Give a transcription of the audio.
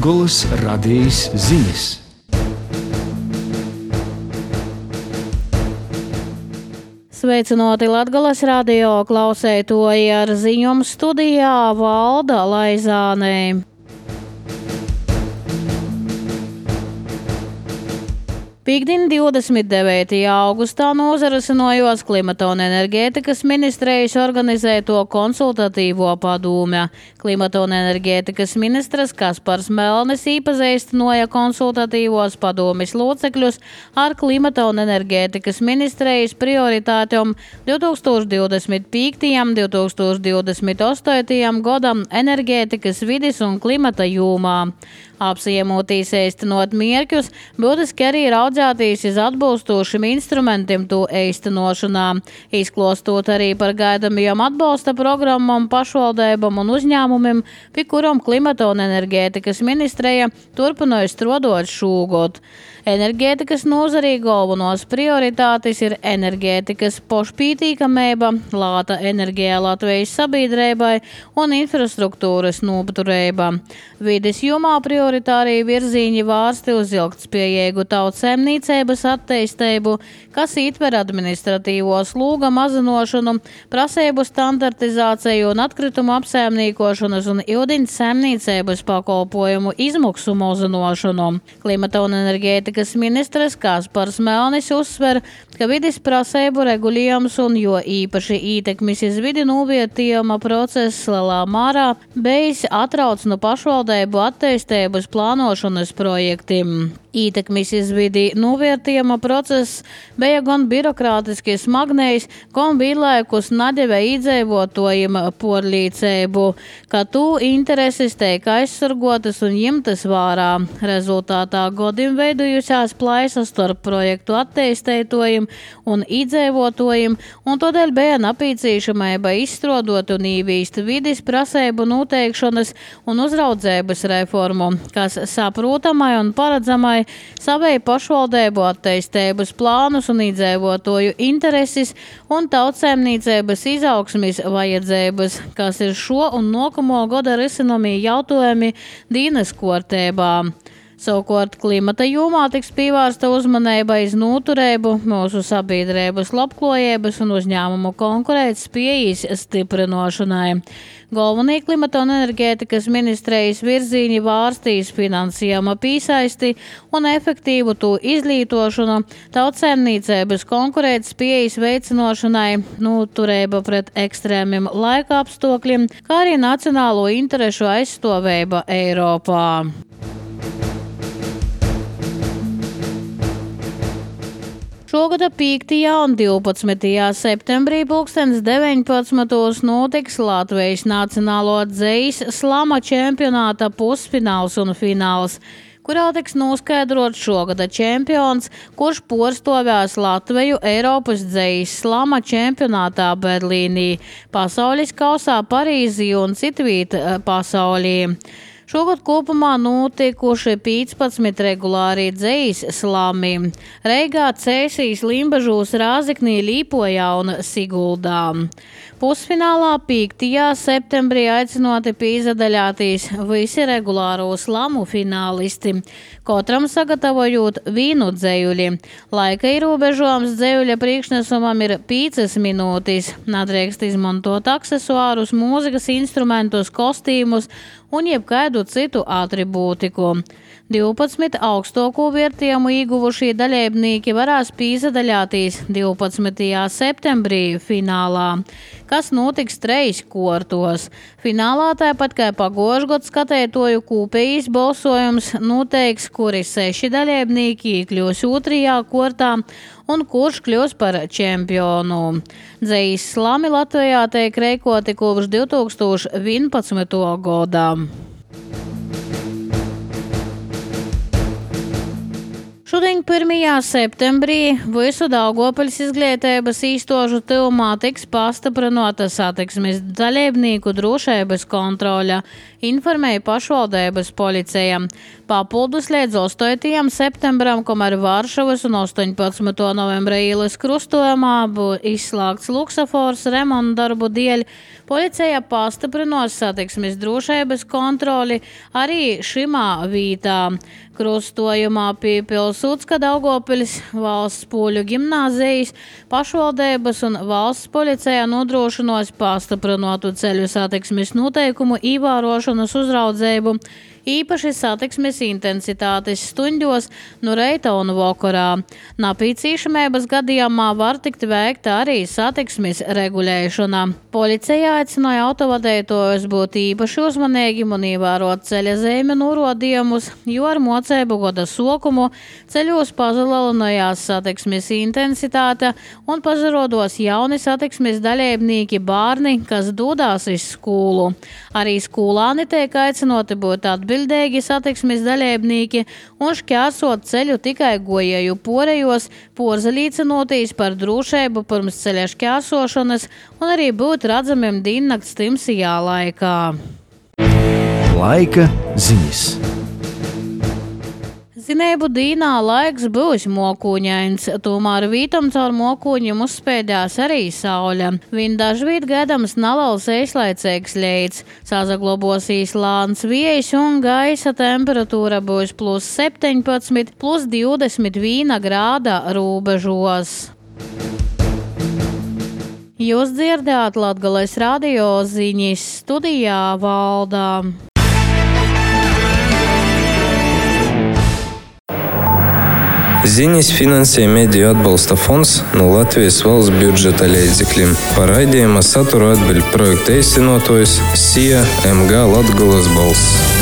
Latgolas radijas ziņas. Sveicināti Latgolas radio klausētoji, ar ziņām studijā Valda Laizāne. Pīkdien 29. augustā nozarasinojos Klimata un enerģētikas ministrijas organizēto konsultatīvo padome. Klimata un enerģētikas ministrs Kaspars Melnis īpazīstināja konsultatīvos padomes locekļus ar Klimata un enerģētikas ministrijas prioritātēm 2025. un 2028. gadam enerģētikas, vides un klimata jomā. Apsiemotīs īstenot mērķus, būtiski arī raudzētīs iz atbilstošiem instrumentiem to īstenošanā, izklostot arī par gaidamajām atbalsta programmām pašvaldībām un uzņēmumiem, pie kurām Klimata un enerģētikas ministrija turpināja strādāt šogad. Enerģētikas nozarī galvenos prioritātes ir enerģētikas pašpītīkamība, lāta enerģija Latvijas sabiedrībai un infrastruktūras noturība. Vides jomā prioritārie virzieni vērsti uz ilgtspējīgu tautsēmniecības attīstību, kas ietver administratīvo sloga mazināšanu, prasību standartizāciju un atkritumu apsaimniekošanas un ūdens saimniecības pakalpojumu izmaksu mazināšanu. Klimata un enerģētikas ministrs Kaspars Melnis uzsver, ka vides prasību regulējums un jo īpaši ietekmes iz vidi novērtējuma process lielā mērā bijis atrauc no pašvaldību attīstības plānošanas projektiem. Ietekmes iz vidi novērtējuma process bija gan birokrātiski smagnējs, gan vienlaikus nadeva iedzīvotājiem porlīdzību, ka tu intereses tiek aizsargotas un ņemtas vērā. Rezultātā godim veidojušās plaisas starp projektu attīstītājiem un iedzīvotājiem, un tādēļ bija nepieciešamība izstrādāt un ieviest vides prasību noteikšanas un uzraudzības reformu, kas saprotamai un paredzamai savai pašvaldību attīstības plānus un iedzīvotāju intereses un tautsēmniecības izaugsmes vajadzības, kas ir šo un nākamo gada risinamie jautājumi dienas kārtībā. Savukārt klimata jomā tiks pievērsta uzmanība iz noturību, mūsu sabiedrības labklājības un uzņēmumu konkurētspējas stiprināšanai. Galvenie klimata un enerģētikas ministrijas virzieni vārstīs finansējuma pīsaisti un efektīvu to izlietošanu, tautsēmniecības konkurētspējas veicināšanai, noturība pret ekstrēmiem laika apstākļiem, kā arī nacionālo interešu aizstāvība Eiropā. Šogad 5. un 12. septembrī 2019. notiks Latvijas Nacionālo dzejas slama čempionāta pusfināls un fināls, kurā tiks noskaidrots šogada čempions, kurš porstovēs Latviju Eiropas dzejas slama čempionātā Berlīnī, pasaules kausā Parīzī un citviet pasaulī. Šogad kopumā notikuši 15 regulāri dzejas slami – Reigā, Cēsīs, Limbažūs, Rāzeknī, Līpojā un Siguldā. Pusfinālā 5. septembrī aicināti piedalīties visi regulāro slamu finālisti, katram sagatavojot vienu dzejuļi. Laika ierobežojums dzejuļa priekšnesumam ir 5 minūtes. Nedrīkst izmantot aksesuārus, mūzikas instrumentus, kostīmus un jebkādu citu atribūtiku. 12 augstāko vērtējumu ieguvušie dalībnieki varēs piedalīties 12. septembrī finālā, kas notiks 3 kārtos. Finālā tāpat kā pagājušā gada skatītāju kopējais balsojums noteiks, kuri 6 dalībnieki iekļūs 2. kārtā un kurš kļūs par čempionu. Dzejas slami Latvijā tiek rīkoti kopš 2011. gada. Šodien 21. septembrī visu Daugavpils izglītības īstožu tuvumā tiks pastiprināta satiksmes dalībnieku drošības kontrole, informēja pašvaldības policija. Papildus līdz 8. septembram, kamēr Varšavas un 18. novembra ielas krustojumā būs izslēgts luksafors remonta darbu dēļ, policija pastiprinos satiksmes drošības kontroli arī šimā vītā. Krustojumā pie Pilsūtska Daugavpils valsts poļu gimnāzijas pašvaldības un valsts policija nodrošinos pastiprinātu ceļu satiksmes noteikumu ievērošanas uzraudzību, īpaši satiksmes intensitātes stundos no reita un vakarā. Napīcīšamības gadījumā var tikt veikta arī satiksmes regulēšana. Policija aicināja autovadītājus būt īpaši uzmanīgiem un ievērot ceļa zīmju norādījumus, jo ar mocību gada sokumu ceļos palielinājās satiksmes intensitāte un pazarodos jauni satiksmes dalībnieki bērni, kas dodās uz skolu. Arī skolāni tiek aicinoti būt atbildīgi satiksmes dalībnieki un šķērsot ceļu tikai gojēju porejos, porzelīcinotīs par drošību pirms ceļa šķērsošanas un arī būt redzamiem diennakts timsajā laikā. Laika ziņas. Zinēbu dīnā laiks būs mokūņains, tomēr vītam caur mokūņiem uzspēdās arī saule. Viņ dažvīt gaidams nalals īslaicīgs leits, sazaglobosīs lāns viejs un gaisa temperatūra būs +17, +21 grāda rūbežos. Jūs dzirdējāt Latgales radio ziņas, studijā Valdā. Ziņas finansē Mediju atbalsta fonds no Latvijas valsts budžeta līdzekļiem. Par raidījuma saturu atbild projekta īstenotājs SIA MG Latgales balss.